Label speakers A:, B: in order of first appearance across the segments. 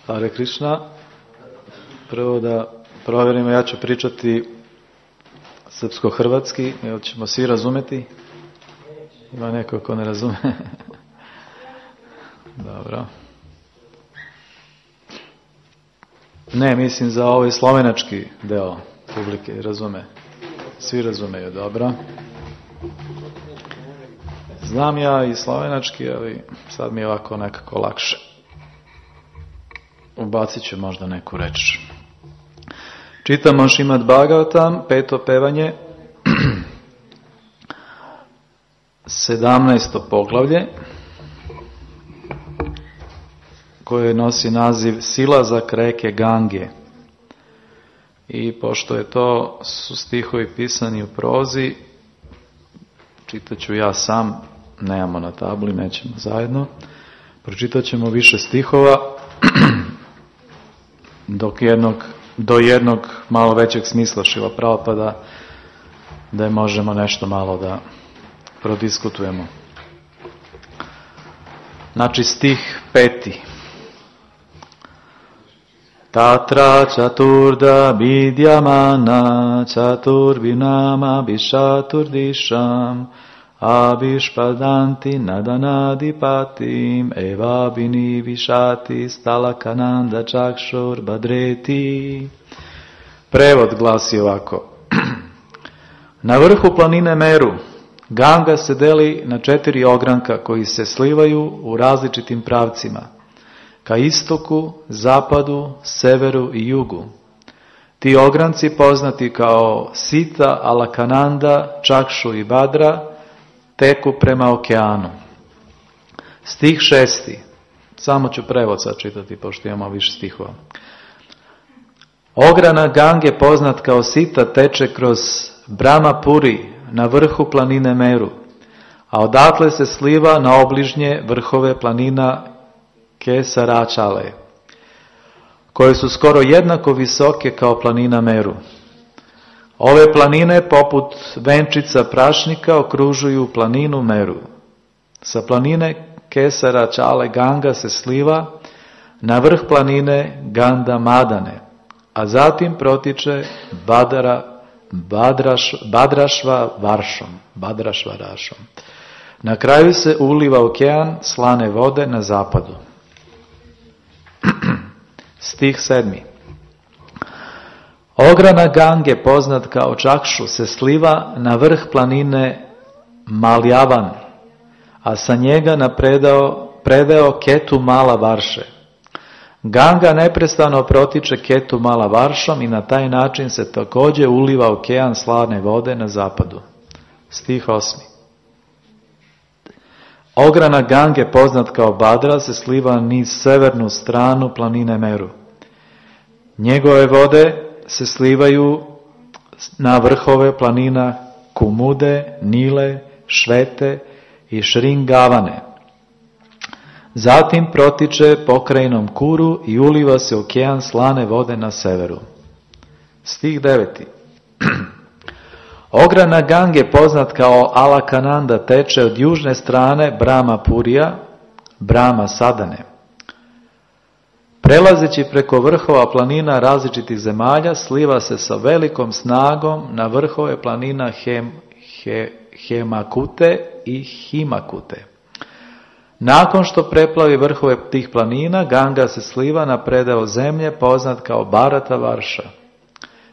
A: Hare Krishna. Prvo da provjerimo, ja ću pričati srpsko-hrvatski, jel ćemo svi razumeti? Ima neko ko ne razume? Dobro. Ne, mislim za ovaj slovenački deo publike, razume. Svi razumeju, dobro. Znam ja i slovenački, ali sad mi je ovako nekako lakše. Ubacit ću možda neku reč. Čitamo Šrimad Bhagavatam, 5. pevanje, 17. poglavlje, koje nosi naziv Silazak reke Gange. I pošto je to su stihovi pisani u prozi, čitat ću ja sam, nemamo na tabli, nećemo zajedno. Pročitat ćemo više stihova, do jednog malo većeg smisla Šrila Prabhupada, da je možemo nešto malo da prodiskutujemo. Znači stih 5. Tatra čaturda vidyamana čaturvinama bishaturdisham abishpadanti nadanadipatim eva bini vishati stalakananda čakšur badreti. Prevod glasi ovako. Na vrhu planine Meru Ganga se deli na 4 ogranka koji se slivaju u različitim pravcima, ka istoku, zapadu, severu i jugu. Ti ogranci poznati kao Sita, Alakananda, Čakšu i Badra teku prema okeanu. Stih 6. Samo ću prevod sad čitati, pošto imamo više stihova. Ogranak Gange poznat kao Sita teče kroz Brahmapuri na vrhu planine Meru, a odatle se sliva na obližnje vrhove planina Kesaračale, koje su skoro jednako visoke kao planina Meru. Ove planine poput venčica prašnika okružuju planinu Meru. Sa planine Kesaračale Ganga se sliva na vrh planine Gandamadane, a zatim protiče Badrašvarašom. Na kraju se uliva okean slane vode na zapadu. Stih 7. Ogranak Gange poznat kao Čakšu se sliva na vrh planine Maljavan, a sa njega na predeo Ketu Mala Varše. Ganga neprestano protiče Ketu Mala Varšom i na taj način se također uliva okean slane vode na zapadu. Stih 8. Ogranak Gange poznat kao Badra se sliva niz severnu stranu planine Meru. Njegove vode se slivaju na vrhove planina Kumude, Nile, Švete i Šringavane. Zatim protiče pokrajinom Kuru i uliva se okean slane vode na severu. Stih 9. Ogranak Gange poznat kao Alakananda teče od južne strane Brahmapurija, Brahma Sadane. Prelazeći preko vrhova planina različitih zemalja, sliva se sa velikom snagom na vrhove planina Hemakute i Himakute. Nakon što preplavi vrhove tih planina, Ganga se sliva na predeo zemlje poznat kao Bharata Varša,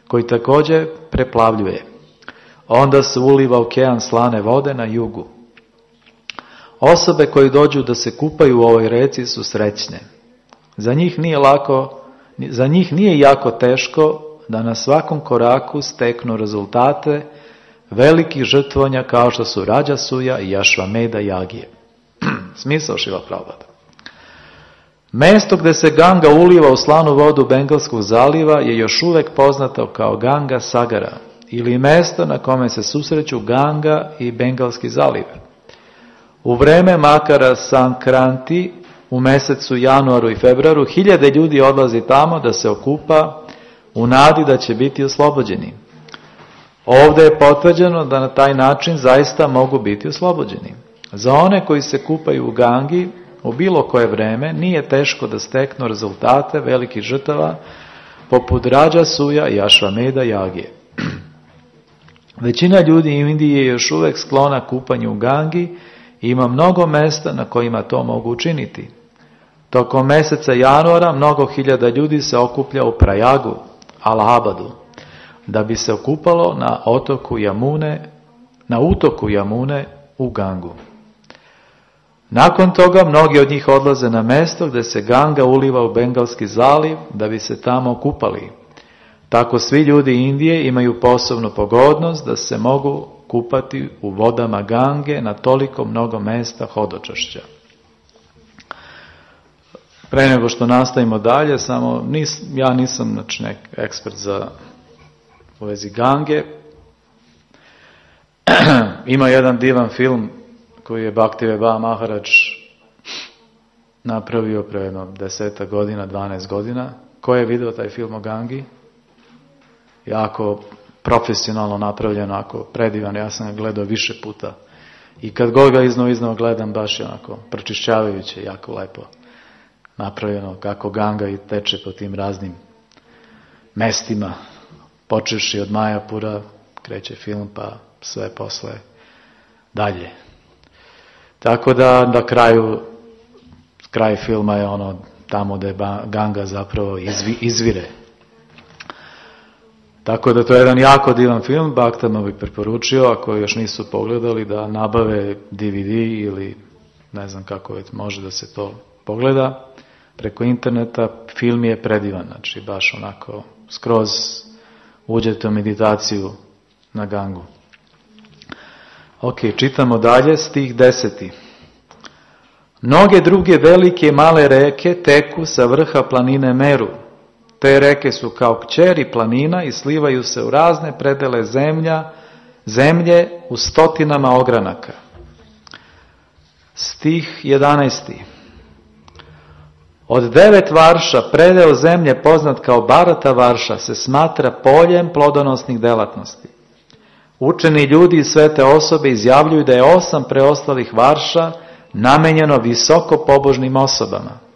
A: koji također preplavljuje. Onda se uliva okean slane vode na jugu. Osobe koji dođu da se kupaju u ovoj reci su srećne. Za njih nije jako teško da na svakom koraku steknu rezultate velikih žrtvovanja kao što su Rađasuja i Ašvameda Jagije. Smisao Šrila Prabhupada. Mesto gdje se Ganga uliva u slanu vodu Bengalskog zaliva je još uvijek poznato kao Ganga Sagara, ili mesto na kome se susreću Ganga i Bengalski zaliv. U vreme Makara Sankranti, u mjesecu januaru i februaru, 1000 ljudi odlazi tamo da se okupa u nadi da će biti oslobođeni. Ovdje je potvrđeno da na taj način zaista mogu biti oslobođeni. Za one koji se kupaju u Gangi, u bilo koje vreme nije teško da steknu rezultate velikih žrtava poput Rajasuja i Ašvameda Jagije. Većina ljudi u Indiji je još uvijek sklona kupanju u Gangi i ima mnogo mjesta na kojima to mogu učiniti. Tokom mjeseca januara mnogo hiljada ljudi se okuplja u Prajagu, Allahabadu, da bi se okupalo na utoku Jamune u Gangu. Nakon toga mnogi od njih odlaze na mjesto gdje se Ganga uliva u Bengalski zaliv da bi se tamo okupali. Tako svi ljudi Indije imaju posebnu pogodnost da se mogu kupati u vodama Gange na toliko mnogo mjesta hodočašća. Pre nego što nastavimo dalje, ja nisam ekspert u vezi Gange. Ima jedan divan film koji je Bhaktivinoda Maharaj napravio pre jedno 10 godina, 12 godina. Ko je vidio taj film o Gangi? Jako profesionalno napravljeno, ako predivan, ja sam ga gledao više puta. I kad god ga iznova gledam, baš je onako pročišćavajuće, jako lepo napravljeno, kako Ganga i teče po tim raznim mestima, počevši od Majapura, kreće film, pa sve posle dalje. Tako da kraj filma je ono tamo gdje Ganga zapravo izvire. Tako da to je jedan jako divan film, Bhaktama bih preporučio, ako još nisu pogledali, da nabave DVD ili ne znam kako može da se to pogleda preko interneta. Film je predivan, znači baš onako skroz uđete u meditaciju na Gangu. Ok, čitamo dalje, stih 10. Mnoge druge velike i male reke teku sa vrha planine Meru. Te reke su kao kćeri planina i slivaju se u razne predele zemlje u stotinama ogranaka. Stih 11. Od 9 varša predeo zemlje poznat kao Bharata varša se smatra poljem plodonosnih delatnosti. Učeni ljudi i svete osobe izjavljuju da je 8 preostalih varša namenjeno visoko pobožnim osobama.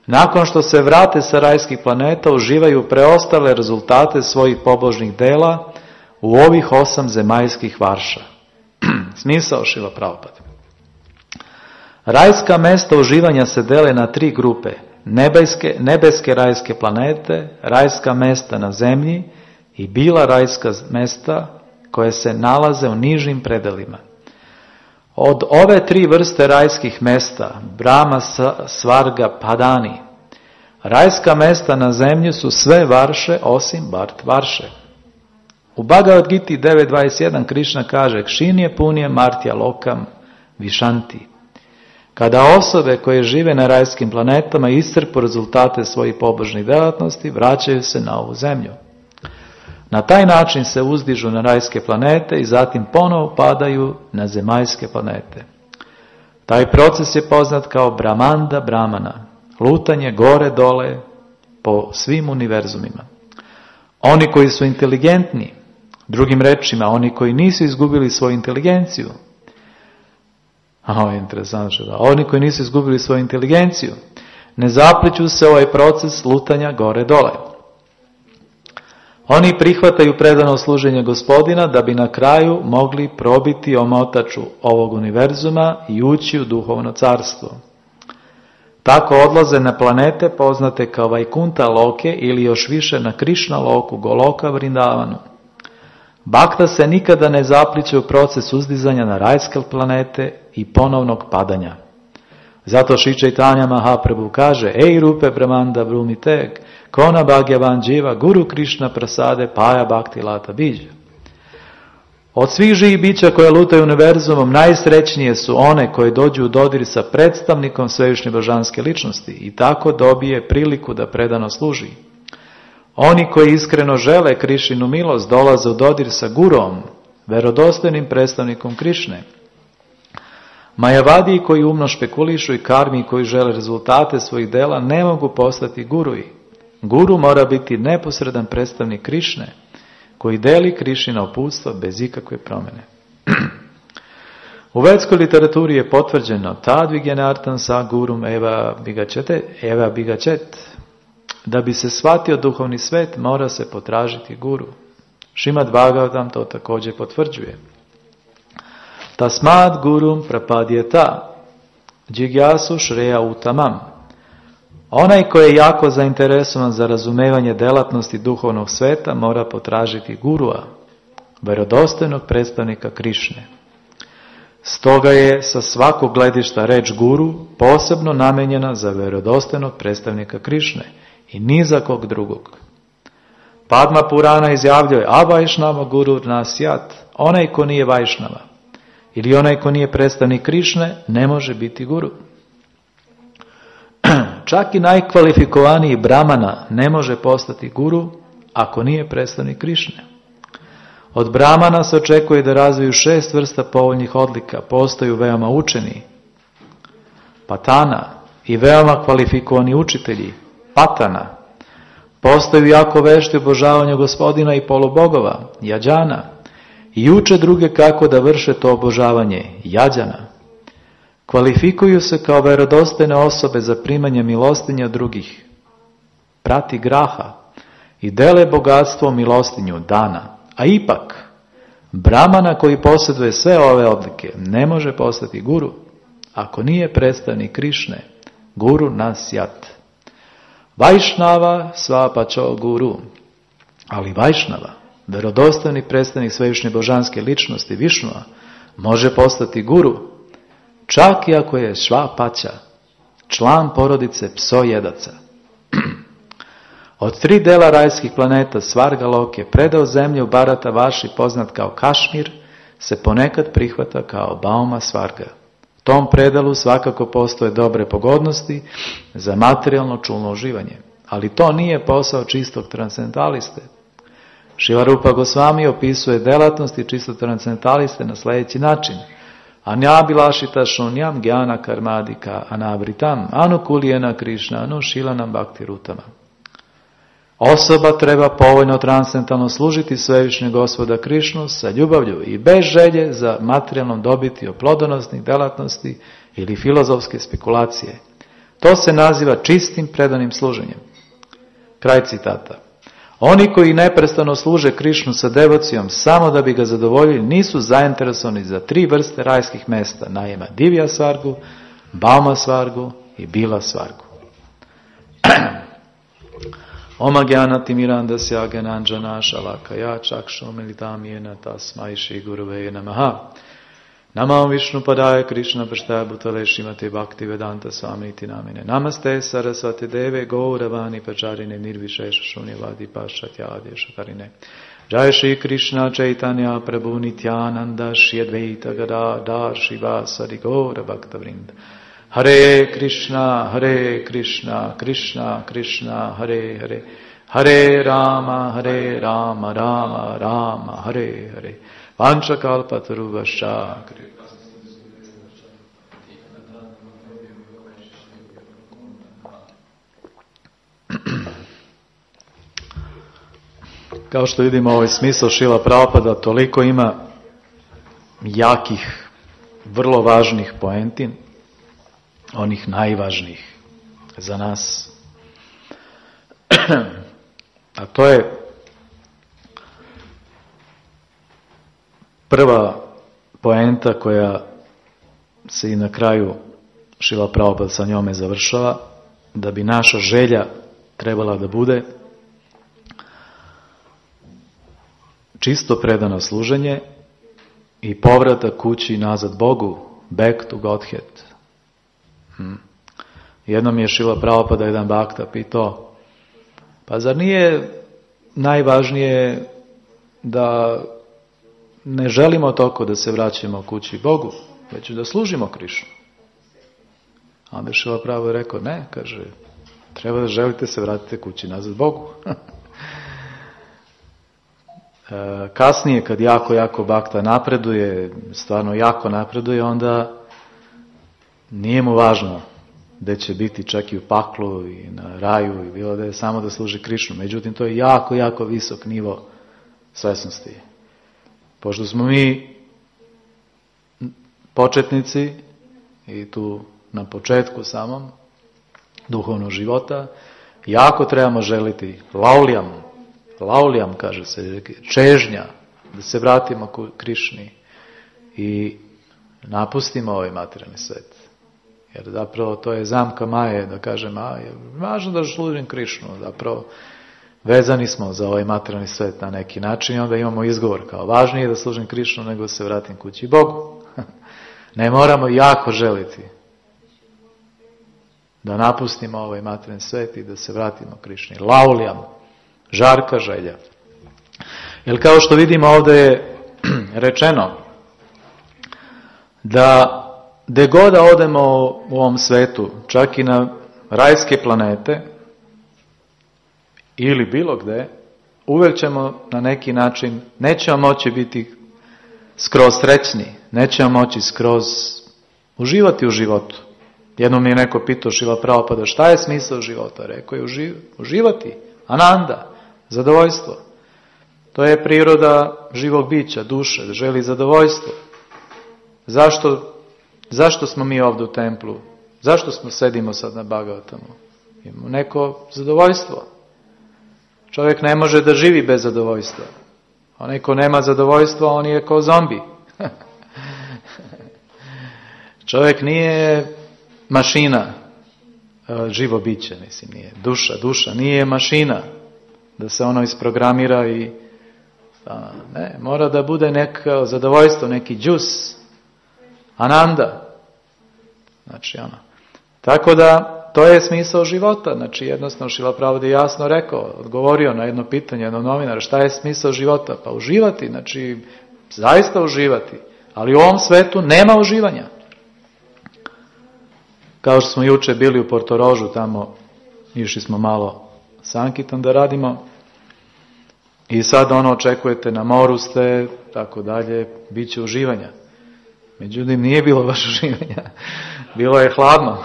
A: Nakon što se vrate sa rajskih planeta, uživaju preostale rezultate svojih pobožnih dela u ovih 8 zemaljskih varša. Smisao Šrila Prabhupada. Rajska mesta uživanja se dele na 3 grupe. Nebeske rajske planete, rajska mesta na zemlji i bila rajska mesta koje se nalaze u nižim predelima. Od ove 3 vrste rajskih mesta, Brahma, Svarga, Padani, rajska mesta na zemlji su sve varše osim Bart varše. U Bhagavad Giti 9.21 Krišna kaže Kšinje punje martja lokam višanti. Kada osobe koje žive na rajskim planetama iscrpu rezultate svojih pobožnih delatnosti, vraćaju se na ovu zemlju. Na taj način se uzdižu na rajske planete i zatim ponovo padaju na zemaljske planete. Taj proces je poznat kao Brahmanda Brahmana, lutanje gore dole po svim univerzumima. Oni koji su inteligentni, drugim rečima, oni koji nisu izgubili svoju inteligenciju, oni koji nisu izgubili svoju inteligenciju, ne zapliću se ovaj proces lutanja gore dole. Oni prihvataju predano služenje Gospodina da bi na kraju mogli probiti omotaču ovog univerzuma i ući u duhovno carstvo. Tako odlaze na planete poznate kao Vajkunta Loke ili još više na Krišna Loku, Goloka Vrindavanu. Bhakta se nikada ne zapliće u proces uzdizanja na rajske planete i ponovnog padanja. Zato Šri Chaitanya Mahaprabhu kaže Ej rupe Brahmanda Brumiteg, Kona Bhagyavan Jiva, Guru Krishna Prasade, Paja Bhakti Lata Biđa. Od svih živih bića koje lutaju univerzumom, najsrećnije su one koje dođu u dodir sa predstavnikom svevišnje božanske ličnosti i tako dobije priliku da predano služi. Oni koji iskreno žele Krišinu milost dolaze u dodir sa Gurom, verodostojnim predstavnikom Krišne. Majavadiji koji umno špekulišu i karmi koji žele rezultate svojih dela ne mogu postati guruji. Guru mora biti neposredan predstavnik Krišne koji deli Krišina uputstva bez ikakve promjene. U vedskoj literaturi je potvrđeno tad vigenartan sa gurum eva bigacet. Da bi se shvatio duhovni svet, mora se potražiti guru. Šrimad Bhagavatam to također potvrđuje. Tasmad gurum prapadyeta džigjasu šreja utamam. Onaj koji je jako zainteresovan za razumevanje delatnosti duhovnog sveta mora potražiti gurua, vjerodostojnog predstavnika Krišne. Stoga je sa svakog gledišta reč guru posebno namenjena za vjerodostojnog predstavnika Krišne i ni za kog drugog. Padma Purana izjavljuje Avajšnava guru nasyat, onaj ko nije Vajšnava ili onaj ko nije predstavnik Krišne ne može biti guru. Čak i najkvalifikovaniji brahmana ne može postati guru ako nije predstavnik Krišne. Od brahmana se očekuje da razviju 6 vrsta povoljnih odlika. Postaju veoma učeni, patana, i veoma kvalifikovani učitelji, patana. Postaju jako vešti u obožavanju Gospodina i polubogova, jađana, i uče druge kako da vrše to obožavanje, jađana. Kvalifikuju se kao vjerodostojne osobe za primanje milostinja drugih, prati graha, i dele bogatstvo milostinju dana. A ipak, brahmana koji posjeduje sve ove odlike ne može postati guru ako nije predstavnik Krišne, guru nasyat. Vajšnava svapačo guru, ali Vajšnava, vjerodostojni predstavnik svevišnje božanske ličnosti Višnua, može postati guru, čak i ako je švapača, član porodice psojedaca. Od 3 dela rajskih planeta Svargalok je predao zemlju Bharata Vaši poznat kao Kašmir, se ponekad prihvata kao Bauma Svarga. U tom predalu svakako postoje dobre pogodnosti za materijalno čulno uživanje, ali to nije posao čistog transcendentaliste. Šrila Rupa Gosvami opisuje delatnosti čistog transcendentaliste na sljedeći način. Anjabilašita šunjam gyana karmadika anavritam anukulijena Krišna anušilanam bhakti rutama. Osoba treba povoljno transcendentalno služiti svevišnjeg Gospoda Krišnu sa ljubavlju i bez želje za materijalnom dobiti od plodonosnih delatnosti ili filozofske spekulacije. To se naziva čistim predanim služenjem. Kraj citata. Oni koji neprestano služe Krišnu sa devocijom samo da bi ga zadovoljili nisu zainteresovani za 3 vrste rajskih mesta, naime Divya Svargu, Bauma Svargu i Bila Svargu. Oma gyana timirandasya gyananjana shalakaya chakshumilitam yena tasmai shri gurave namaha. Namam Vishnu padaya Krishna prasthaya bhutale Srimate Bhakti Vedanta Swamiti namine. Namaste Saraswati Deve Gauravani Pacharine Nirvishesha Shunyavadi Paschatyadesh Karine. Jai Shri Krishna Chaitanya Prabhu Nityananda Shri Advaita Gadadhar Shivasadi Gaura Bhakta Vrinda. Hare Krishna, Krishna Krishna, Hare Hare, Hare Rama, Rama Rama, Hare Hare. Vanchakalpataruvascha. Kao što vidimo, ovaj smisao Šrila Prabhupada toliko ima jakih, vrlo važnih poenti, onih najvažnijih za nas. A to je prva poenta koja se i na kraju Šrila Prabhupada sa njome završava, da bi naša želja trebala da bude čisto predano služenje i povratak kući nazad Bogu, back to Godhead. Jednom je Šrila Prabhupada jedan bhakta pitao, pa zar nije najvažnije da ne želimo toliko da se vraćamo kući Bogu, već da služimo Krišnu? A onda je Šrila Prabhupada rekao, ne, kaže, treba da želite se vratite kući nazad Bogu. Kasnije, kad jako bhakta napreduje, stvarno jako napreduje, onda nije mu važno da će biti čak i u paklu i na raju i bilo da je samo da služi Krišnu. Međutim, to je jako visok nivo svesnosti. Pošto smo mi početnici i tu na početku samom duhovnog života, jako trebamo želiti lauljam kaže se, čežnja, da se vratimo ku Krišni i napustimo ovaj materijalni svet. Jer zapravo to je zamka Maje, da kažem, je važno da služim Krišnu, zapravo vezani smo za ovaj materijalni svet na neki način i onda imamo izgovor kao važnije da služim Krišnu nego da se vratim kući Bogu. Ne moramo jako želiti da napustimo ovaj materijalni svet i da se vratimo Krišni. Lauljam, žarka želja. Jer kao što vidimo ovdje je rečeno da gde god da odemo u ovom svetu, čak i na rajske planete ili bilo gde, uvek ćemo na neki način, nećemo moći biti skroz srećni, nećemo moći skroz uživati u životu. Jednom mi je neko pitao Šrila Prabhupada, šta je smisao života? Rekao je uživati, ananda, zadovoljstvo. To je priroda živog bića, duše, da želi zadovoljstvo. Zašto smo mi ovdje u templu? Zašto sedimo sad na Bhagavatamu? Imamo neko zadovoljstvo. Čovjek ne može da živi bez zadovoljstva. Onaj ko nema zadovoljstva, on je kao zombi. Čovjek nije mašina, živo biće, mislim, nije. Duša nije mašina da se ono isprogramira i ne, mora da bude neko zadovoljstvo, neki džus, ananda. Znači, tako da, to je smisao života. Znači, jednostavno, Šrila Prabhupada je jasno rekao, odgovorio na jedno pitanje jednog novinara, šta je smisao života? Pa uživati, znači, zaista uživati. Ali u ovom svetu nema uživanja. Kao što smo juče bili u Portorožu, tamo išli smo malo sankitom da radimo. I sad očekujete, na moru ste, tako dalje, bit će uživanja. Međutim, nije bilo baš uživanja. Bilo je hladno.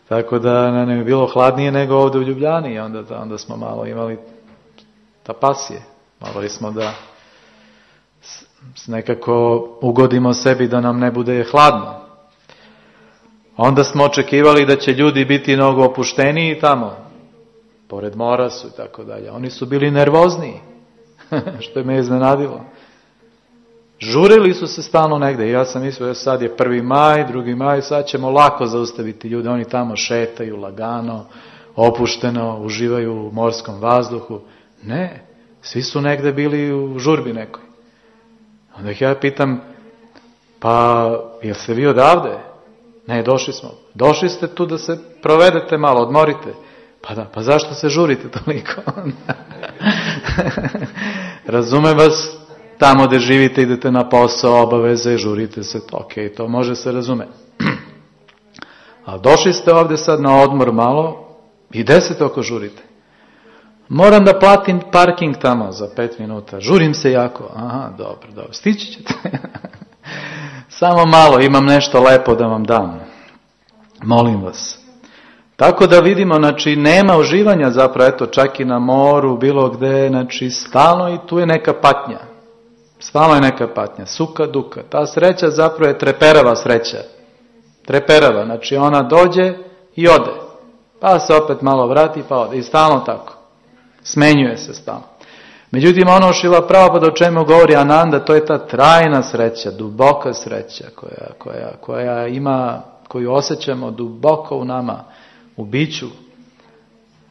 A: Tako da nam je bilo hladnije nego ovdje u Ljubljani. Onda smo malo imali tapasije. Morali smo da nekako ugodimo sebi da nam ne bude hladno. Onda smo očekivali da će ljudi biti mnogo opušteniji tamo. Pored mora su i tako dalje. Oni su bili nervozniji. Što je me iznenadilo. Žurili su se stalno negde. Ja sam mislio, sad je 1. maj, 2. maj, sad ćemo lako zaustaviti ljude. Oni tamo šetaju lagano, opušteno, uživaju u morskom vazduhu. Ne, svi su negde bili u žurbi nekoj. Onda ih ja pitam, pa jel ste vi odavde? Ne, došli smo. Došli ste tu da se provedete malo, odmorite. Pa da, pa zašto se žurite toliko? Razumem vas, tamo gdje živite, idete na posao, obaveze, žurite se, ok, to može se razumeti. Ali došli ste ovdje sad na odmor malo i 10 oko žurite. Moram da platim parking tamo za 5 minuta, žurim se jako. Aha, dobro, stići ćete. Samo malo, imam nešto lepo da vam dam. Molim vas. Tako da vidimo, znači, nema uživanja zapravo, eto, čak i na moru, bilo gde, znači, stalno i tu je neka patnja. Stalno je neka patnja, suka, duka. Ta sreća zapravo je treperava sreća. Treperava, znači ona dođe i ode. Pa se opet malo vrati, pa ode. I stalno tako. Smenjuje se stalno. Međutim, Šrila Prabhupada o čemu govori Ananda, to je ta trajna sreća, duboka sreća koja ima, koju osjećamo duboko u nama, u biću.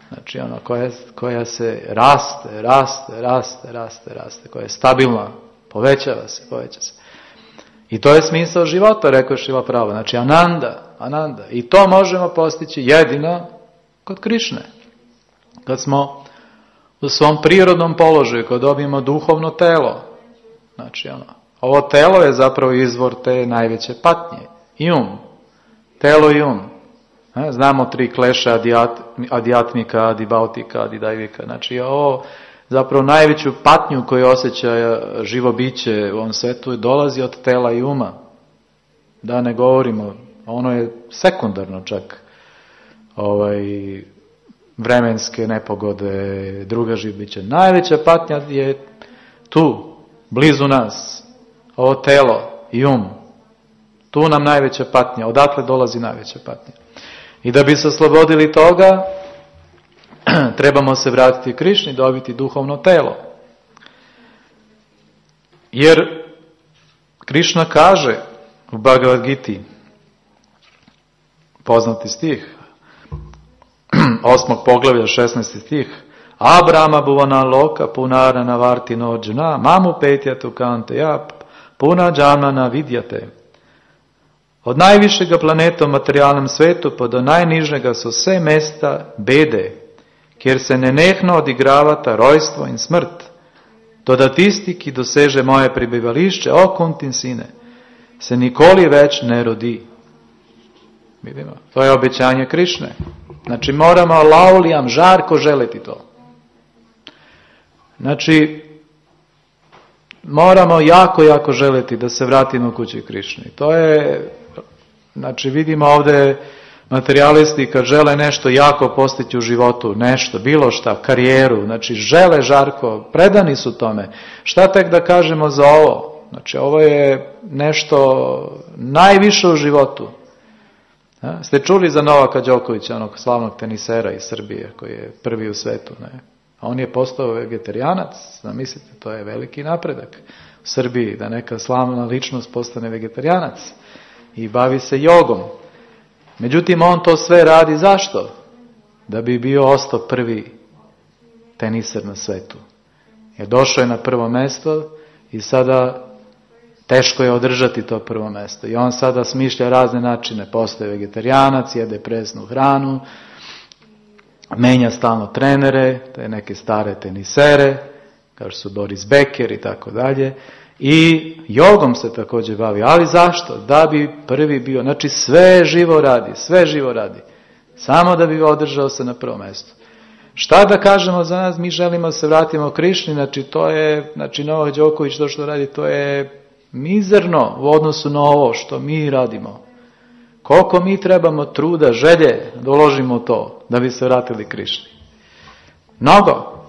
A: Znači koja se raste, koja je stabilna, povećava se. I to je smisao života, rekao je Šrila Prabhupada. Znači Ananda. I to možemo postići jedino kod Krišne. Kad smo u svom prirodnom položaju, kad dobijemo duhovno telo. Znači ovo telo je zapravo izvor te najveće patnje. I telo i Znamo 3 kleše, adijatmika, adibautika, adidajvika. Znači ovo zapravo najveću patnju koju osjeća živo biće u ovom svetu dolazi od tela i uma. Da ne govorimo, ono je sekundarno čak. Vremenske nepogode, druga živ biće. Najveća patnja je tu, blizu nas. Ovo telo, i Tu nam najveća patnja, odatle dolazi najveća patnja. I da bi se oslobodili toga, trebamo se vratiti Krišni, dobiti duhovno telo. Jer Krišna kaže u Bhagavad Giti, poznati stih, 8. poglavlja, 16. stih, Abrama buvana loka punarana vartino džna, mamu petjatu kante jap, puna džanana vidjate. Od najvišega planeta u materijalnem svetu pa do najnižnega so vse mesta bede, kjer se nenehno odigravata rojstvo in smrt. Toda tisti, ki doseže moje prebivališče, o Kuntin sine, se nikoli več ne rodi. Vidimo, to je obećanje Krišne. Znači moramo laulijam, žarko želiti to. Znači, moramo jako želiti da se vratimo kući Krišni. To je, znači vidimo ovdje materijalisti kad žele nešto jako postići u životu, nešto, bilo šta, karijeru, znači žele žarko, predani su tome. Šta tek da kažemo za ovo? Znači ovo je nešto najviše u životu. Ste čuli za Novaka Đokovića, onog slavnog tenisera iz Srbije, koji je prvi u svetu, ne? A on je postao vegetarijanac, zamislite, to je veliki napredak u Srbiji, da neka slavna ličnost postane vegetarijanac i bavi se jogom. Međutim, on to sve radi zašto? Da bi bio ostao prvi teniser na svetu. Jer došao je na prvo mjesto i sada teško je održati to prvo mjesto. I on sada smišlja razne načine, postaje vegetarijanac, jede presnu hranu, menja stalno trenere, te neke stare tenisere, kao što su Boris Becker i tako dalje. I jogom se također bavi. Ali zašto? Da bi prvi bio. Znači sve živo radi. Samo da bi održao se na prvom mjestu. Šta da kažemo za nas? Mi želimo da se vratimo Krišni. Znači to je, Novak Đoković to što radi, to je mizerno u odnosu na ovo što mi radimo. Koliko mi trebamo truda, želje da uložimo to da bi se vratili Krišni. Mnogo.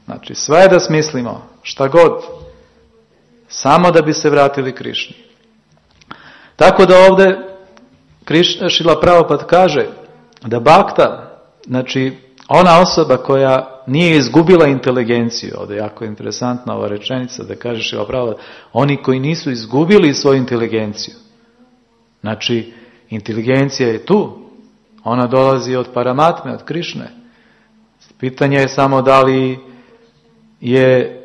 A: Znači sve da smislimo, šta god. Samo da bi se vratili Krišni. Tako da ovdje Šrila Prabhupada kaže da bakta, znači ona osoba koja nije izgubila inteligenciju, ovdje je jako interesantna ova rečenica da kaže Šrila Prabhupada, oni koji nisu izgubili svoju inteligenciju. Znači, inteligencija je tu, ona dolazi od Paramatme, od Krišne. Pitanje je samo da li je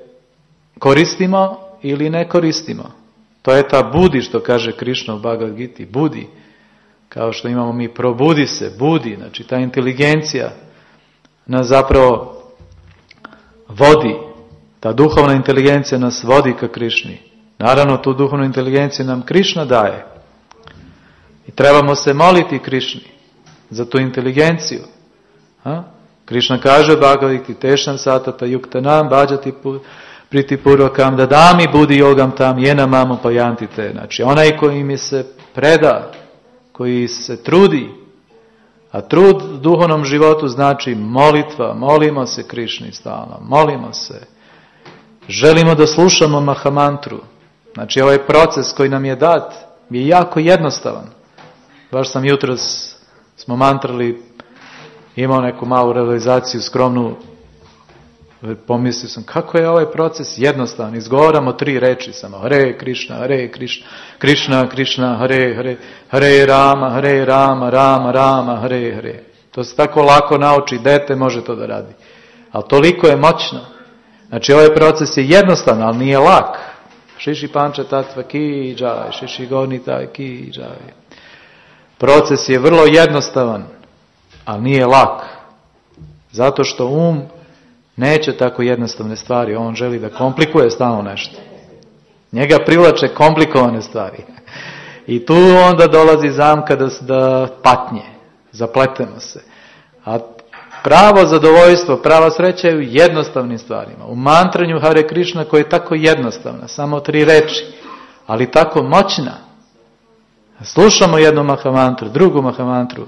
A: koristimo ili ne koristimo. To je ta budi što kaže Krišna u Bhagavad Giti, budi. Kao što imamo mi probudi se, budi, znači ta inteligencija nas zapravo vodi, ta duhovna inteligencija nas vodi ka Krišni. Naravno tu duhovnu inteligenciju nam Krišna daje. I trebamo se moliti Krišni za tu inteligenciju. Krišna kaže u Bhagavad Giti, tešan satata yuktanam bhađati priti purvakam dadami budi yogam tam jena mamu pajantite. Znači onaj koji mi se preda, koji se trudi, a trud u duhovnom životu znači molitva, molimo se Krišni stalno, molimo se. Želimo da slušamo Mahamantru. Znači ovaj proces koji nam je dat je jako jednostavan. Baš sam jutros, smo mantrali, imao neku malu realizaciju skromnu, pomislio sam kako je ovaj proces jednostavan, izgovaramo 3 reči samo, Hare Krišna, Hare Krišna, Krišna, Krišna, Hare Hare, Hare Rama, Rama, Rama, Hare Hare. To se tako lako nauči, dete može to da radi. Ali toliko je moćno. Znači ovaj proces je jednostavan, ali nije lak. Šiši panča tatva ki džaj, šiši gornita ki džaj. Proces je vrlo jednostavan, ali nije lak. Zato što neće tako jednostavne stvari. On želi da komplikuje stalno nešto. Njega privlače komplikovane stvari. I tu onda dolazi zamka da patnje. Zapletemo se. A pravo zadovoljstvo, prava sreća je u jednostavnim stvarima. U mantranju Hare Krišna koja je tako jednostavna. Samo 3 reči. Ali tako moćna. Slušamo jednu mahamantru, drugu mahamantru.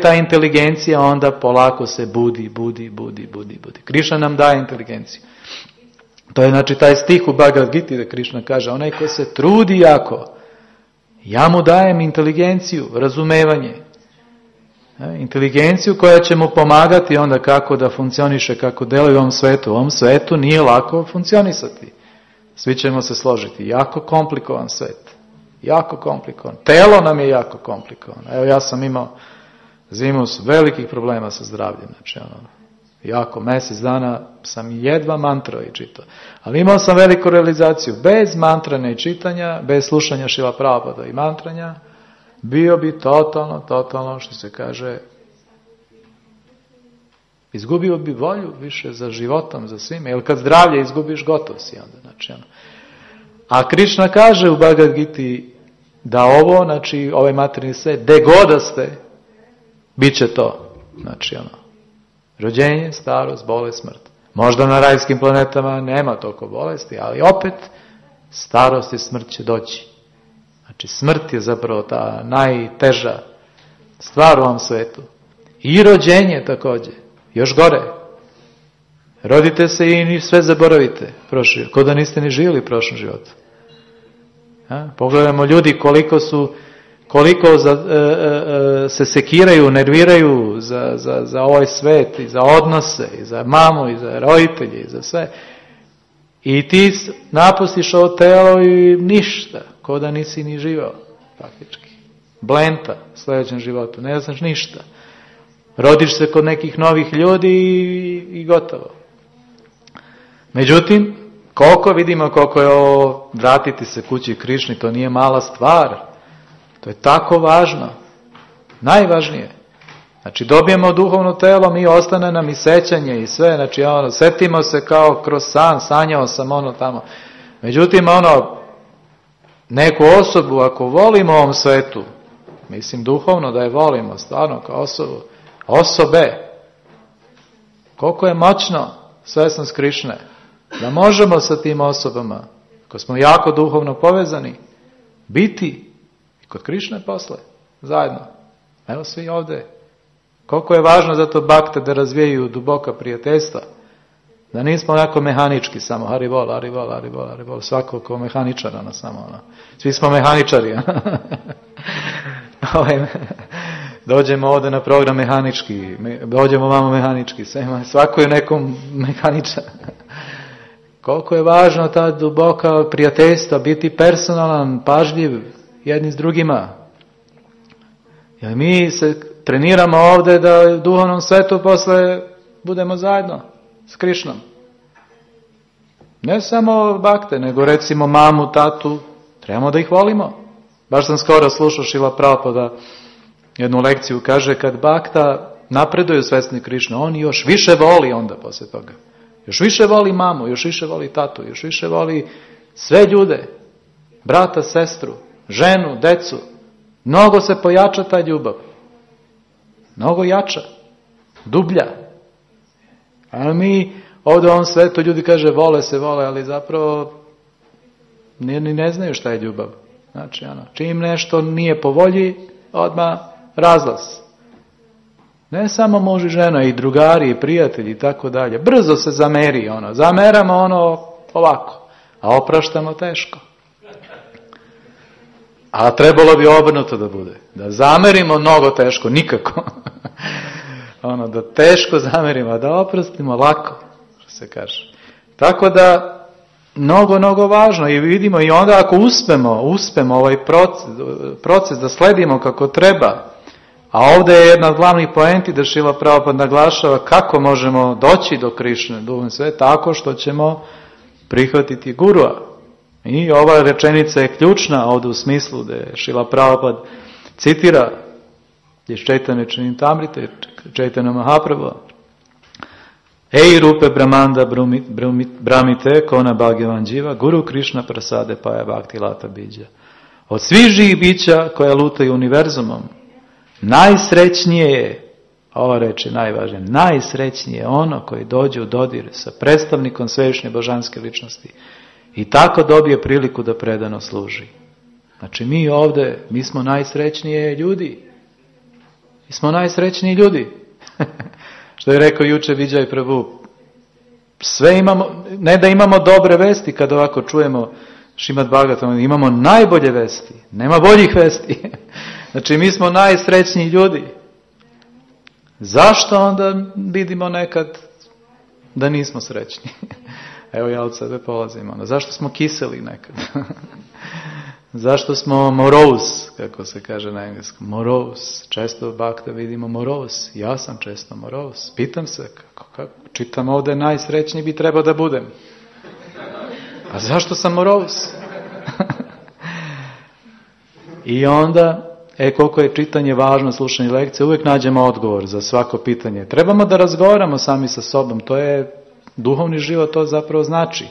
A: Ta inteligencija onda polako se budi. Krišna nam daje inteligenciju. To je znači taj stih u Bhagavad Giti da Krišna kaže, onaj ko se trudi jako, Ja mu dajem inteligenciju, razumevanje. Inteligenciju koja će mu pomagati onda kako da funkcioniše, kako deluje u ovom svetu. U ovom svetu nije lako funkcionisati. Svi ćemo se složiti. Jako komplikovan svet. Jako komplikovan. Telo nam je jako komplikovano. Evo ja sam imao zimu velikih problema sa zdravljem. Znači jako mjesec dana sam jedva mantrao i čitao. Ali imao sam veliku realizaciju. Bez mantranja i čitanja, bez slušanja Šrila Prabhupada i mantranja, bio bi totalno, što se kaže, izgubio bi volju više za životom, za svime. Jer kad zdravlje izgubiš, gotov si onda. Znači, a Krišna kaže u Bhagavad Giti da ovo, znači ovaj materijalni svet, gde god da ste, bit će to. Znači rođenje, starost, bolest, smrt. Možda na rajskim planetama nema toliko bolesti, ali opet starost i smrt će doći. Znači smrt je zapravo ta najteža stvar u ovom svetu. I rođenje također, još gore. Rodite se i sve zaboravite. Ko da niste ni živjeli u prošlom životu. Pogledajmo ljudi koliko se sekiraju, nerviraju za ovaj svet i za odnose, i za mamu, i za roditelje, i za sve. I ti napustiš ovo telo i ništa, ko da nisi ni živao, faktički. Blenta u sljedećem životu, ne znaš ništa. Rodiš se kod nekih novih ljudi i gotovo. Međutim, koliko je ovo vratiti se kući Krišni, to nije mala stvar. To je tako važno. Najvažnije. Znači dobijemo duhovno telo, mi ostane nam i sećanje i sve. Znači setimo se kao kroz san, sanjao sam tamo. Međutim neku osobu ako volimo u ovom svetu, mislim duhovno da je volimo, stvarno kao osobe, koliko je moćno svesnost Krišne, da možemo sa tim osobama, ako smo jako duhovno povezani, biti kod Krišne posle, zajedno. Evo svi ovdje. Koliko je važno za to bakte da razvijaju duboka prijateljstva. Da nismo onako mehanički samo, haribol, svako ko mehaničara samo. Svi smo mehaničari. Dođemo ovdje na program mehanički, dođemo vamo mehanički, svako je nekom mehaničar. Koliko je važno ta duboka prijateljstva, biti personalan, pažljiv, jedni s drugima. Jer mi se treniramo ovdje da u duhovnom svetu posle budemo zajedno s Krišnom. Ne samo bakte, nego recimo mamu, tatu, trebamo da ih volimo. Baš sam skoro slušao Šrila Prabhupada jednu lekciju, kaže kad bakta napreduje u svesni Krišne, on još više voli onda poslije toga. Još više voli mamu, još više voli tatu, još više voli sve ljude, brata, sestru, ženu, decu. Mnogo se pojača ta ljubav. Mnogo jača. Dublja. A mi ovdje u ovom svetu ljudi kaže vole, ali zapravo ne znaju šta je ljubav. Znači čim nešto nije po volji, odmah razlaz. Ne samo muž i žena, i drugari, i prijatelji i tako dalje. Brzo se zameri zameramo ovako, a opraštamo teško. A trebalo bi obrnuto da bude. Da zamerimo mnogo teško, nikako. Da teško zamerimo, a da oprostimo lako, što se kaže. Tako da, mnogo važno i vidimo i onda ako uspemo ovaj proces da sledimo kako treba, a ovdje je jedna od glavnih poenti da Šrila Prabhupada naglašava kako možemo doći do Krišne, duhovne sve, tako što ćemo prihvatiti gurua. I ova rečenica je ključna ovdje u smislu da je Šrila Prabhupada citira iz Chaitanya Charitamrite, Chaitanya Mahaprabhu. Ej rupe brahmanda bramite kona bhagavan jiva, guru Krišna prasade paja bhakti lata bidja. Od svih živih bića koja lutaju univerzumom, najsrećnije je, ova reč je najvažnija, najsrećnije je ono koji dođe u dodir sa predstavnikom svevišnje božanske ličnosti i tako dobije priliku da predano služi. Znači mi ovdje, mi smo najsrećnije ljudi. Mi smo najsrećniji ljudi. Što je rekao juče Vijay Prabhu. Sve imamo, ne da imamo dobre vesti kad ovako čujemo Šrimad Bhagavatam, imamo najbolje vesti, nema boljih vesti. Znači mi smo najsrećniji ljudi. Zašto onda vidimo nekad da nismo srećni? Evo ja od sebe polazim. Onda. Zašto smo kiseli nekad? Zašto smo morose, kako se kaže na engleskom? Morose. Često bakta vidimo morose. Ja sam često morose. Pitam se, kako čitam ovdje najsrećniji bi trebao da budem. A zašto sam morose? I onda, koliko je čitanje važno, slušanje lekcije, uvijek nađemo odgovor za svako pitanje. Trebamo da razgovaramo sami sa sobom. To je duhovni život, to zapravo znači.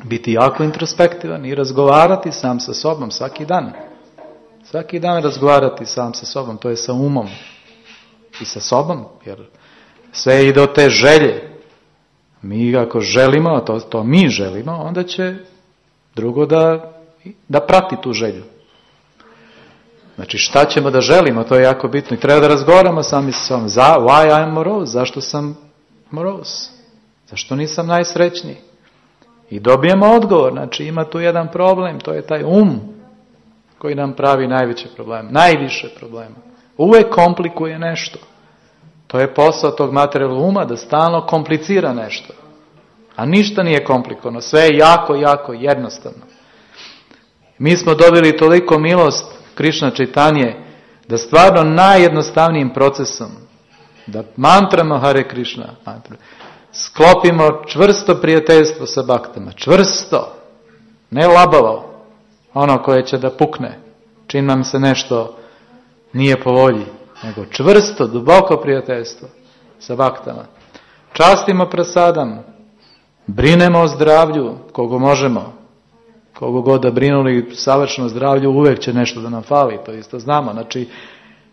A: Biti jako introspektivan i razgovarati sam sa sobom svaki dan. Svaki dan razgovarati sam sa sobom, to je sa umom i sa sobom, jer sve ide od te želje. Mi ako želimo, a to mi želimo, onda će drugo da prati tu želju. Znači šta ćemo da želimo, to je jako bitno i treba da razgovaramo sami sa sobom. Why I am morose? Zašto sam morose? Zašto nisam najsrećniji? I dobijemo odgovor, znači ima tu jedan problem, to je taj koji nam pravi najveće probleme, najviše problema. Uvijek komplikuje nešto. To je posao tog materijalnog uma, da stalno komplicira nešto. A ništa nije komplikovano, sve je jako, jako jednostavno. Mi smo dobili toliko milost Krišna Čaitanje, da stvarno najjednostavnijim procesom, da mantramo Hare Krišna, sklopimo čvrsto prijateljstvo sa baktama, čvrsto, ne labavo, ono koje će da pukne, čim nam se nešto nije po volji, nego čvrsto, duboko prijateljstvo sa baktama. Častimo prasadam, brinemo o zdravlju, kogo možemo, kogo god da brinuli savršeno zdravlju, uvijek će nešto da nam fali, to isto znamo, znači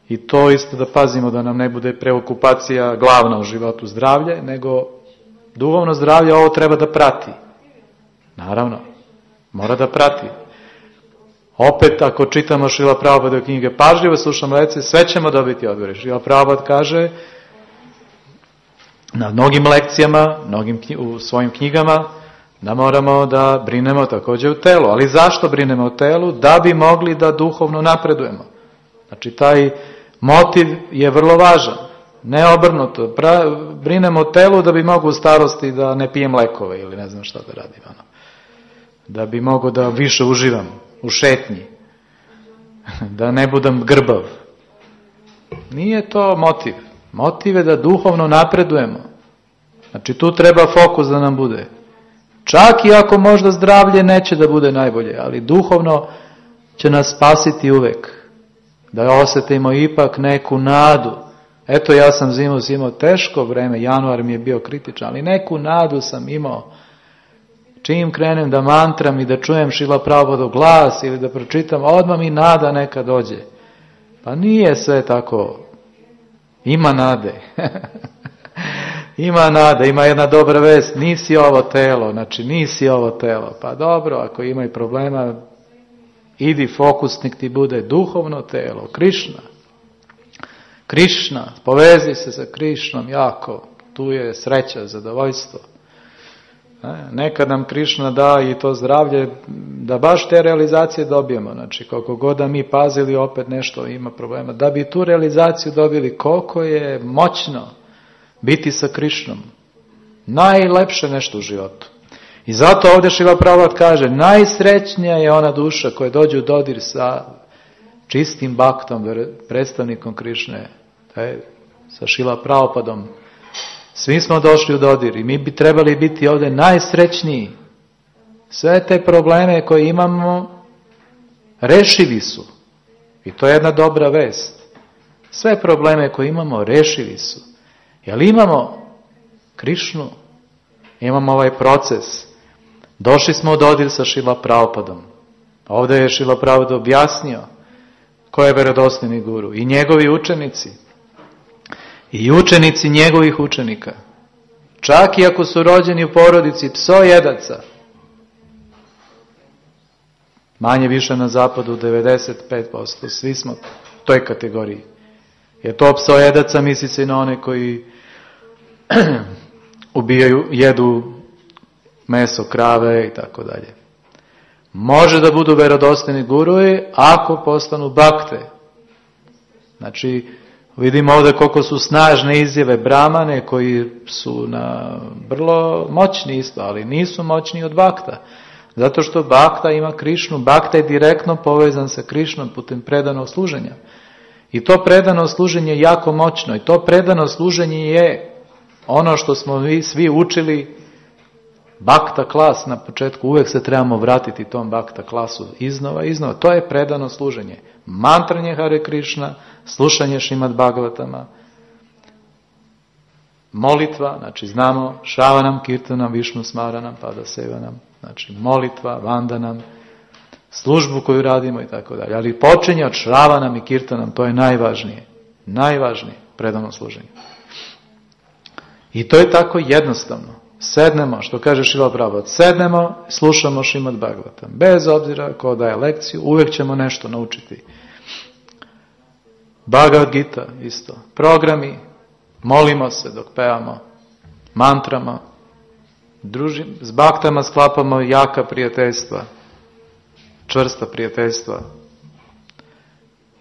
A: i to isto da pazimo da nam ne bude preokupacija glavna u životu zdravlje, nego duhovno zdravlje ovo treba da prati. Naravno, mora da prati. Opet, ako čitamo Šrila Prabhupada knjige, pažljivo slušamo lekcije, sve ćemo dobiti odgovore. Šrila Prabhupada kaže na mnogim lekcijama, u svojim knjigama, da moramo da brinemo također u telu. Ali zašto brinemo u telu? Da bi mogli da duhovno napredujemo. Znači, taj motiv je vrlo važan. Ne obrnuto. Brinemo o telu da bi mogu u starosti da ne pijem lekove ili ne znam šta da radim. Da bi mogu da više uživam u šetnji. Da ne budem grbav. Nije to motiv. Motiv je da duhovno napredujemo. Znači tu treba fokus da nam bude. Čak i ako možda zdravlje neće da bude najbolje, ali duhovno će nas spasiti uvek. Da osjetimo ipak neku nadu. Eto, ja sam zimus imao teško vreme, januar mi je bio kritičan, ali neku nadu sam imao. Čim krenem da mantram i da čujem Šrila Prabhupada glas ili da pročitam, odmah mi nada neka dođe. Pa nije sve tako. Ima nade. Ima nada, ima jedna dobra vest, nisi ovo telo, znači nisi ovo telo. Pa dobro, ako ima i problema, idi fokusnik ti bude duhovno telo, Krišna. Krišna, povezi se sa Krišnom jako, tu je sreća, zadovoljstvo. Nekad nam Krišna da i to zdravlje, da baš te realizacije dobijemo. Znači, koliko god da mi pazili, opet nešto ima problema. Da bi tu realizaciju dobili, koliko je moćno biti sa Krišnom. Najlepše nešto u životu. I zato ovdje Šrila Prabhupada kaže, najsrećnija je ona duša koja dođe u dodir sa čistim baktom, predstavnikom Krišne, sa Šrila Prabhupadom. Svi smo došli u dodir i mi bi trebali biti ovdje najsrećniji. Sve te probleme koje imamo rešivi su. I to je jedna dobra vest. Sve probleme koje imamo rešivi su. Jer imamo Krišnu, imamo ovaj proces. Došli smo u dodir sa Šrila Prabhupadom. Ovdje je Šrila Prabhupada objasnio ko je vjerodostojni guru i njegovi učenici. I učenici njegovih učenika. Čak i ako su rođeni u porodici psojedaca. Manje više na zapadu 95%. Svi smo u toj kategoriji. Je to psojedaca, misli se na one koji ubijaju, jedu meso krave i tako dalje. može da budu verodostojni guruji ako postanu bakte. Znači, vidimo ovdje koliko su snažne izjave Brahmane koji su vrlo moćni isto, ali nisu moćni od bakta. Zato što bakta ima Krišnu, bakta je direktno povezan sa Krišnom putem predanog služenja. I to predano služenje je jako moćno i to predano služenje je ono što smo mi svi učili bakta klas na početku. Uvijek se trebamo vratiti tom bakta klasu iznova. To je predano služenje. Mantranje Hare Krišna, slušanje Šrimad Bhagavatama, molitva, znači znamo Šravanam, Kirtanam, Višnu Smaranam, Pada Sevanam, znači molitva, vandanam, službu koju radimo i tako dalje. Ali počinje od Šravanam i Kirtanam, to je najvažnije predano služenje. I to je tako jednostavno. Sednemo, što kaže Šrila Prabhupada, sednemo, slušamo Šrimad Bhagavatam. Bez obzira ko daje lekciju, uvijek ćemo nešto naučiti. Bhagavad Gita isto. Programi, molimo se dok pevamo, mantrama, s baktama sklapamo jaka prijateljstva, čvrsta prijateljstva.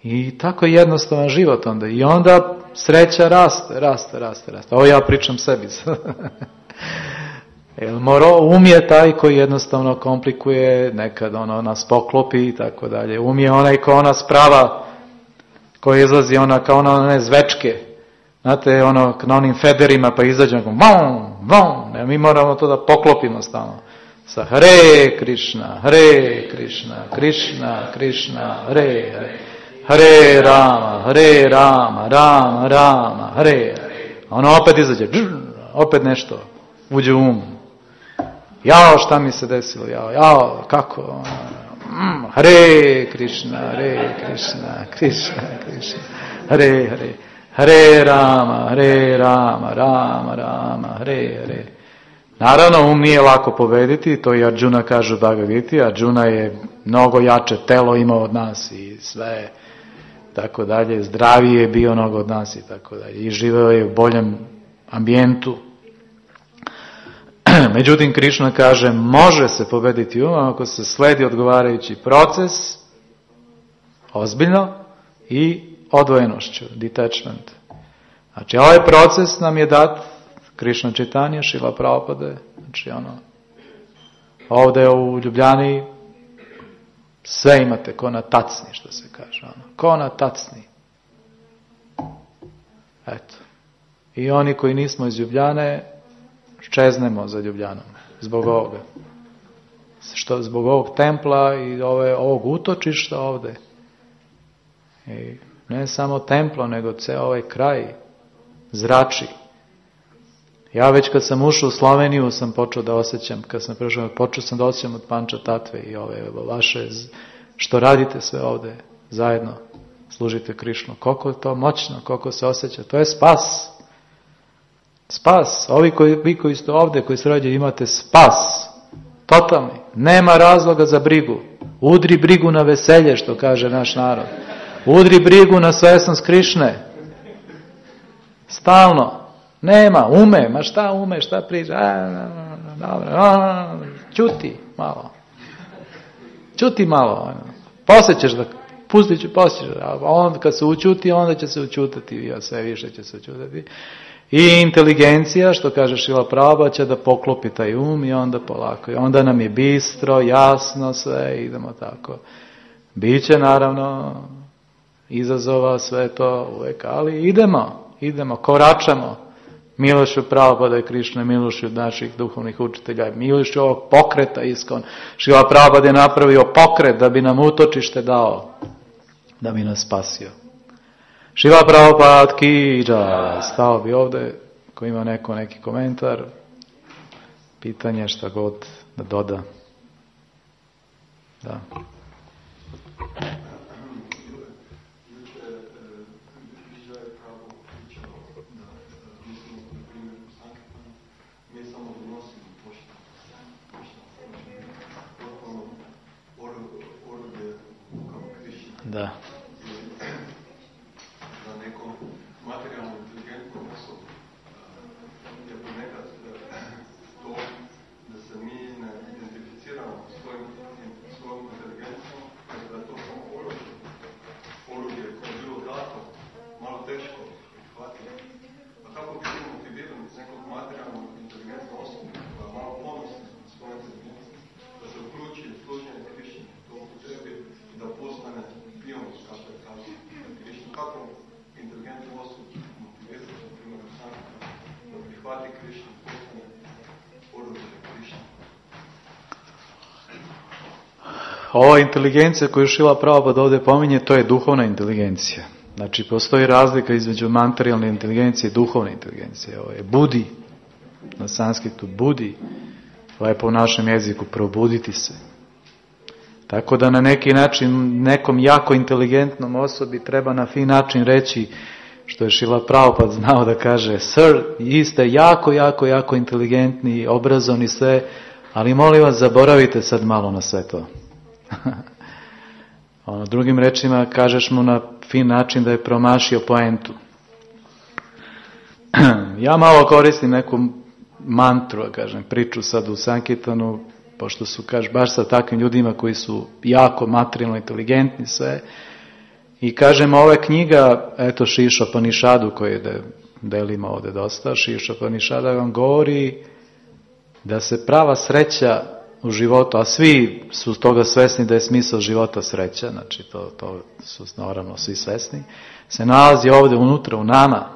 A: I tako je jednostavan život onda. I onda sreća raste. Ovo ja pričam sebi. Jer umije taj koji jednostavno komplikuje, nekad nas poklopi i tako dalje. Umije onaj ko ona sprava, koji izlazi kao one zvečke. Znate, na onim federima pa izađe, mi moramo to da poklopimo stalno. Sa Hare Krišna, Krišna, Krišna, Hare Hare. Hare Rama, Rama, Hare. A ono opet izađe, opet nešto uđe u um. Jao, šta mi se desilo, jao, kako? Hare Krišna, Krišna, Hare Hare. Hare Rama, Rama, Hare. Naravno, nije lako pobediti, to i Arjuna kaže u Bhagavad Gita. Arjuna je mnogo jače telo imao od nas i sve, tako dalje, zdraviji je bio mnogo od nas i tako dalje. I živeo je u boljem ambijentu. Međutim, Krišna kaže, može se pobediti ako se sledi odgovarajući proces, ozbiljno i odvojenošću, detachment. Znači, ovaj proces nam je dat Krišna Čitanja, Šrila Prabhupada, znači ovdje u Ljubljani sve imate ko na tacni, što se kaže, ko na tacni. Eto. I oni koji nismo iz Ljubljane, čeznemo za Ljubljanom, zbog ovoga. Zbog ovog templa i ovog utočišta ovdje. I ne samo templo, nego ceo ovaj kraj zrači. Ja već kad sam ušao u Sloveniju sam počeo da osjećam, počeo sam da osjećam od Panča Tatve i ove vaše, što radite sve ovdje zajedno, služite Krišnu. Koliko je to moćno, koliko se osjeća, to je spas. Spas. Vi koji ste ovdje, koji se rađaju, imate spas. Totalni. Nema razloga za brigu. Udri brigu na veselje, što kaže naš narod. Udri brigu na svesnost Krišne. Stalno. Nema, šta priča? Ćuti malo. Poslije ćeš da, pustit ću, a onda kad se učuti, onda će se učutati, sve više će se učutati. I inteligencija, što kaže Šrila Prabhupada, će da poklopi taj um i onda polako. I onda nam je bistro, jasno sve, idemo tako. Biće naravno izazova, sve to uvek, ali idemo, koračamo. Milošću Prabhupada i Krišne, milošću naših duhovnih učitelja, milošću ovog pokreta iskon. Šrila Prabhupada je napravio pokret da bi nam utočište dao, da bi nas spasio. Šrila Prabhupada ki džaj. Stao bi ovdje, ko ima neki komentar, pitanje, šta god da doda. Da. Da.
B: Za nekom materijalno inteligentnom osobu je ponekad to da se mi ne identificiramo svojom pati Krišni, postane oruđe Krišni.
A: Ova inteligencija koju Šrila Prabhupada ovdje pominje, to je duhovna inteligencija. Znači, postoji razlika između materijalne inteligencije i duhovne inteligencije. Ovo je budi, na sanskritu budi, lepo u našem jeziku probuditi se. Tako da na neki način nekom jako inteligentnom osobi treba na fin način reći, što je Šrila Prabhupada znao da kaže, sir, vi ste jako inteligentni, obrazovni sve, ali molim vas, zaboravite sad malo na sve to. Drugim rečima, kažeš mu na fin način da je promašio poentu. Ja malo koristim neku mantru, kažem, priču sad u Sankirtanu, pošto su, baš sa takvim ljudima koji su jako materijalno inteligentni sve, i kažem, ova knjiga, eto Šišopanishadu koji delimo ovdje dosta, Šišopanishada vam govori da se prava sreća u životu, a svi su toga svesni da je smisao života sreća, znači to su naravno svi svesni, se nalazi ovdje unutra u nama,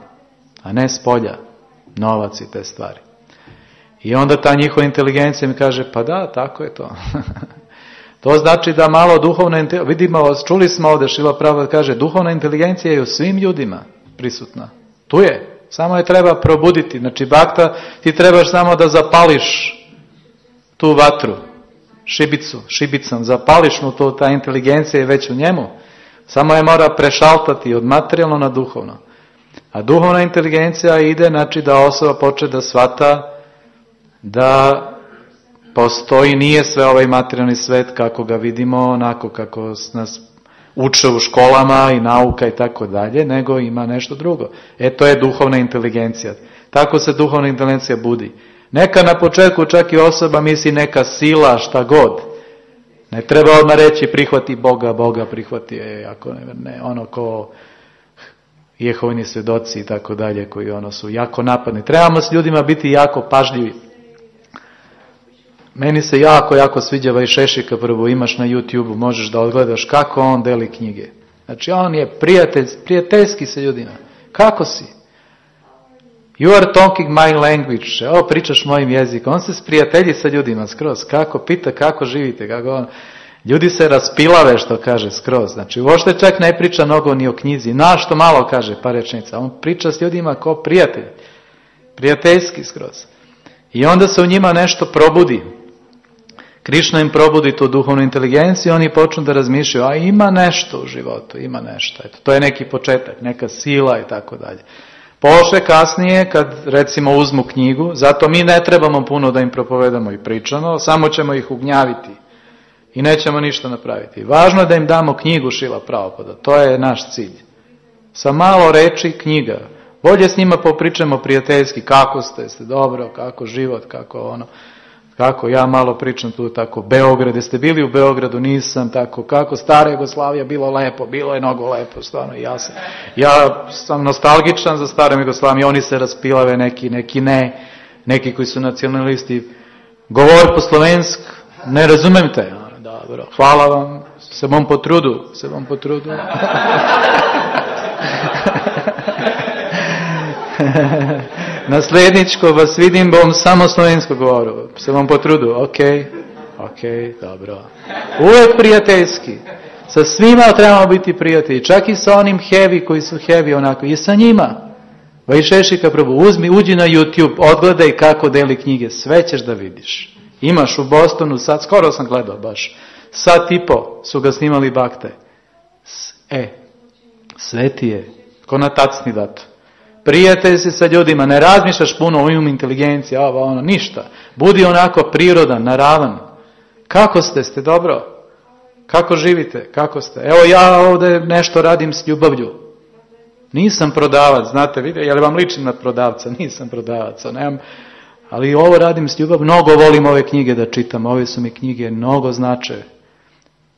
A: a ne s polja, novac i te stvari. I onda ta njihova inteligencija mi kaže, pa da, tako je to. To znači da malo duhovna inteligencija, vidimo, čuli smo ovdje, Šrila Prabhupada kaže, duhovna inteligencija je u svim ljudima prisutna. Tu je, samo je treba probuditi. Znači, bakta, ti trebaš samo da zapališ tu vatru, šibicom, zapališ mu to, ta inteligencija je već u njemu. Samo je mora prešaltati od materijalno na duhovno. A duhovna inteligencija ide, znači da osoba počne da shvata da postoji, nije sve ovaj materijalni svet kako ga vidimo, onako kako nas uče u školama i nauka i tako dalje, nego ima nešto drugo. To je duhovna inteligencija. Tako se duhovna inteligencija budi. Neka na početku čak i osoba misli neka sila, šta god. Ne treba odmah reći prihvati Boga prihvati, ako ne, ono ko Jehovini svjedoci i tako dalje, koji su jako napadni. Trebamo s ljudima biti jako pažljivi. Meni se jako sviđa Vajšešika Prabhu, imaš na YouTube-u, možeš da odgledaš kako on deli knjige. Znači on je prijateljski sa ljudima. Kako si? You are talking my language. Pričaš mojim jezikom. On se sprijatelji sa ljudima skroz. Kako pita, kako živite, kako on. Ljudi se raspilave, što kaže, skroz. Znači, uopšte čak ne priča mnogo ni o knjizi. Što malo kaže, par rečenica. On priča s ljudima kao prijatelj. Prijateljski skroz. I onda se u njima nešto probudi. Krišna im probudi tu duhovnu inteligenciju, oni počnu da razmišljaju, a ima nešto u životu, ima nešto. To je neki početak, neka sila i tako dalje. Poše kasnije, kad recimo uzmu knjigu, zato mi ne trebamo puno da im propovedamo i pričamo, samo ćemo ih ugnjaviti i nećemo ništa napraviti. Važno je da im damo knjigu Šrila Prabhupada, to je naš cilj. Sa malo reči knjiga. Bolje s njima popričamo prijateljski, kako ste dobro, kako život, kako ja malo pričam tu tako, Beograd, jeste bili u Beogradu, nisam, tako, kako stara Jugoslavija, bilo je mnogo lepo, stvarno, ja sam nostalgičan za starom Jugoslaviju, oni se raspilave, neki ne, neki koji su nacionalisti, govor po slovensk, ne razumem te, dobro, hvala vam, se vam potrudu. Nasledničko vas vidim, bom samo slovensko govoru. Se vam potrudu, ok, dobro. Uvijek prijateljski. Sa svima trebamo biti prijatelji. Čak i sa onim heavy koji su heavy onako. I sa njima. Vajšešika Prabhu, uđi na YouTube, odgledaj kako deli knjige. Sve ćeš da vidiš. Imaš u Bostonu, sad, skoro sam gledao baš. Sat i po su ga snimali bakte. Sve ti je. Ko na tacni dato. Prijatelj si sa ljudima, ne razmišljaš puno o inteligenciji, ništa. Budi onako prirodan, naravan. Kako ste dobro? Kako živite? Kako ste? Evo ja ovdje nešto radim s ljubavlju. Nisam prodavac, znate, jel vam ličim na prodavca? Nisam prodavac, nemam, ali ovo radim s ljubavlju. Mnogo volim ove knjige da čitam, ove su mi knjige, mnogo znače.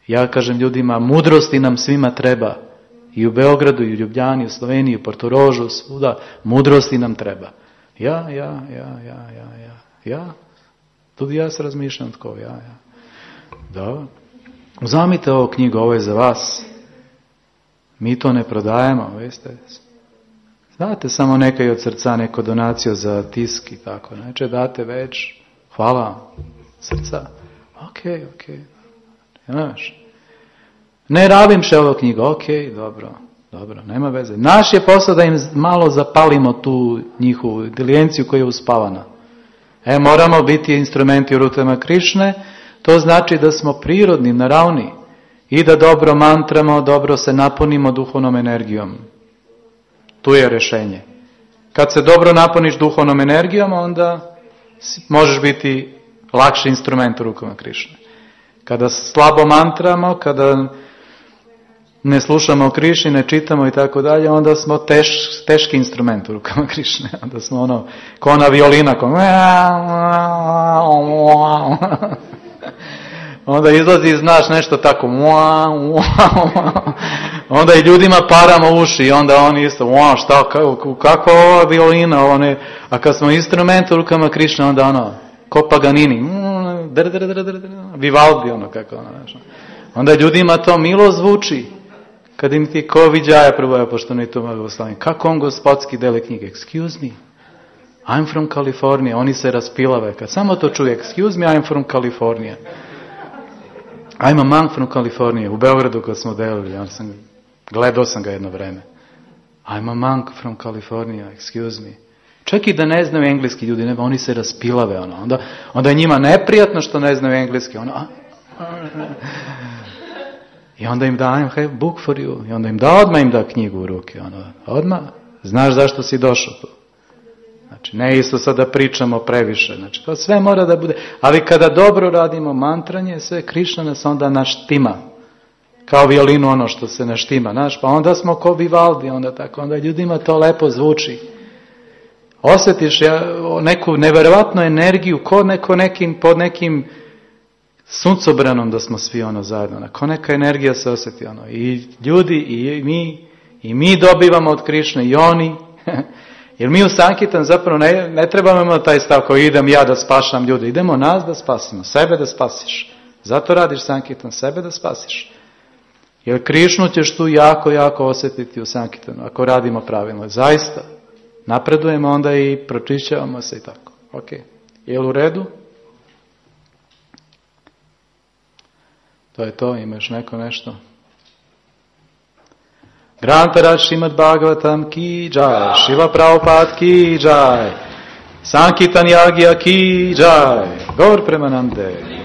A: Ja kažem ljudima, mudrosti nam svima treba. I u Beogradu, i u Ljubljani, i u Sloveniji, i u Portorožu, svuda, mudrosti nam treba. Ja. Tudi ja se razmišljam tako, ja. Da. Uzamite ovu knjigu, ovo je za vas. Mi to ne prodajemo, veste. Date samo nekaj od srca, neko donaciju za tisk i tako. Neče date već, hvala srca. Ok. Znaš. Ne rabim še ovo knjigu, ok, dobro, nema veze. Naš je posao da im malo zapalimo tu njihovu inteligenciju koja je uspavana. Moramo biti instrumenti u rukama Krišne, to znači da smo prirodni, naravni i da dobro mantramo, dobro se napunimo duhovnom energijom. Tu je rješenje. Kad se dobro napuniš duhovnom energijom, onda možeš biti lakši instrument u rukama Krišne. Kada slabo mantramo, kada ne slušamo Krišni, ne čitamo i tako dalje, onda smo teški instrument u rukama Krišne. Onda smo ko ona violina, onda izlazi, znaš, nešto tako, onda i ljudima paramo uši i onda oni isto, kakva ova violina, a kad smo instrument u rukama Krišne, onda ko Paganini, Vivaldi, kako znaš. Onda ljudima to milo zvuči. Kad im ti ko viđaja prvoja, pošto ne to mogu slavim. Kako on gospodski dele knjige? Excuse me, I'm from California. Oni se raspilave. Kad samo to čuje, excuse me, I'm from California. I'm a monk from California. U Beogradu kad smo delili, gledao sam ga jedno vreme. I'm a monk from California, excuse me. Čak i da ne znaju engleski ljudi, oni se raspilave. Onda je njima neprijatno što ne znaju engleski. I onda im da, I have book for you. I onda odmah da knjigu u ruke. Odmah. Znaš zašto si došao tu. Znači, ne isto sad da pričamo previše. Znači, to sve mora da bude. Ali kada dobro radimo mantranje, sve Krišna nas onda naštima. Kao violinu što se naštima. Znaš, pa onda smo ko Vivaldi. Onda ljudima to lepo zvuči. Osjetiš neku neverovatnu energiju pod nekim suncobranom da smo svi zajedno. Ko neka energija se osjeti. I ljudi, i mi dobivamo od Krišne, i oni. Jer mi u Sankitan zapravo ne trebamo imati taj stav koji idem ja da spašam ljude. Idemo nas da spasimo, sebe da spasiš. Zato radiš Sankitan, sebe da spasiš. Jer Krišnu ćeš tu jako, jako osjetiti u Sankitanu, ako radimo pravilno. Zaista. Napredujemo onda i pročišćavamo se i tako. Ok. Je li u redu? To je to, imaš nešto? Grantaraj Šrimad Bhagavatam ki jai, Šrila Prabhupada ki jai, Sankirtan Yagya ki jai, Gaur Premanande.